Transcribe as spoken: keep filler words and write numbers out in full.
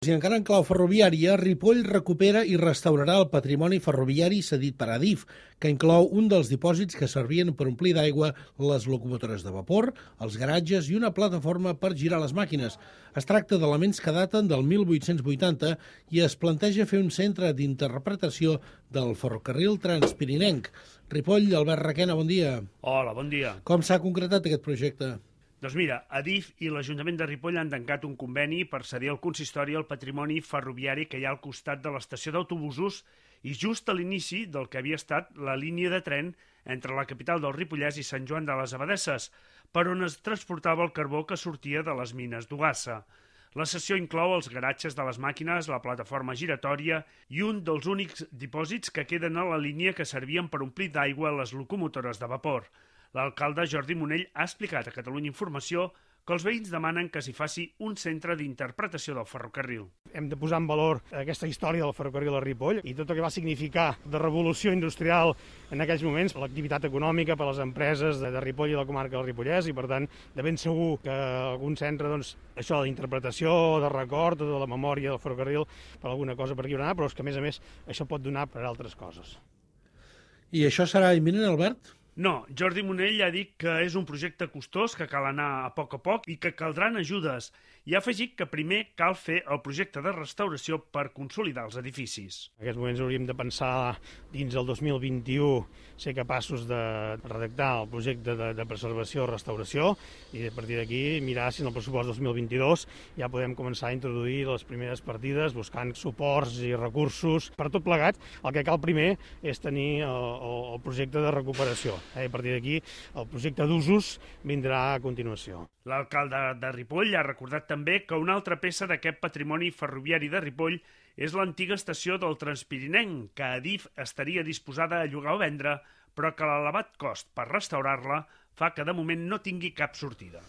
I encara en clau ferroviària, Ripoll recupera i restaurarà el patrimoni ferroviari cedit per Adif, que inclou un dels dipòsits que servien per omplir d'aigua les locomotores de vapor, els garatges i una plataforma per girar les màquines. Es tracta d'elements que daten del mil vuit-cents vuitanta i es planteja fer un centre d'interpretació del ferrocarril transpirinenc. Ripoll, Albert Requena, bon dia. Hola, bon dia. Com s'ha concretat aquest projecte? Doncs mira, Adif i l'Ajuntament de Ripoll han tancat un conveni per cedir al consistori el patrimoni ferroviari que hi ha al costat de l'estació d'autobusos i just a l'inici del que havia estat la línia de tren entre la capital del Ripollès i Sant Joan de les Abadesses, per on es transportava el carbó que sortia de les mines d'Ogassa. La cessió inclou els garatges de les màquines, la plataforma giratòria i un dels únics dipòsits que queden a la línia que servien per omplir d'aigua les locomotores de vapor. L'alcalde Jordi Monell ha explicat a Catalunya Informació que els veïns demanen que s'hi faci un centre d'interpretació del ferrocarril. Hem de posar en valor aquesta història del ferrocarril a Ripoll i tot el que va significar de revolució industrial en aquells moments, l'activitat econòmica per a les empreses de Ripoll i la comarca del Ripollès, i per tant de ben segur que algun centre, doncs, això d'interpretació, de record, de la memòria del ferrocarril, per alguna cosa per aquí haurà, però és que a més a més això pot donar per altres coses. I això serà imminent, Albert? No, Jordi Monell ha dit que és un projecte costós, que cal anar a poc a poc i que caldran ajudes. I ha afegit que primer cal fer el projecte de restauració per consolidar els edificis. En aquests moments hauríem de pensar dins el dos mil vint-i-u ser capaços de redactar el projecte de, de preservació i restauració i a partir d'aquí mirar si en el pressupost dos mil vint-i-dos ja podem començar a introduir les primeres partides buscant suports i recursos. Per tot plegat, el que cal primer és tenir el, el, el projecte de recuperació. A partir d'aquí, el projecte d'usos vindrà a continuació. L'alcalde de Ripoll ha recordat també que una altra peça d'aquest patrimoni ferroviari de Ripoll és l'antiga estació del Transpirinenc, que Adif estaria disposada a llogar o vendre, però que l'elevat cost per restaurar-la fa que de moment no tingui cap sortida.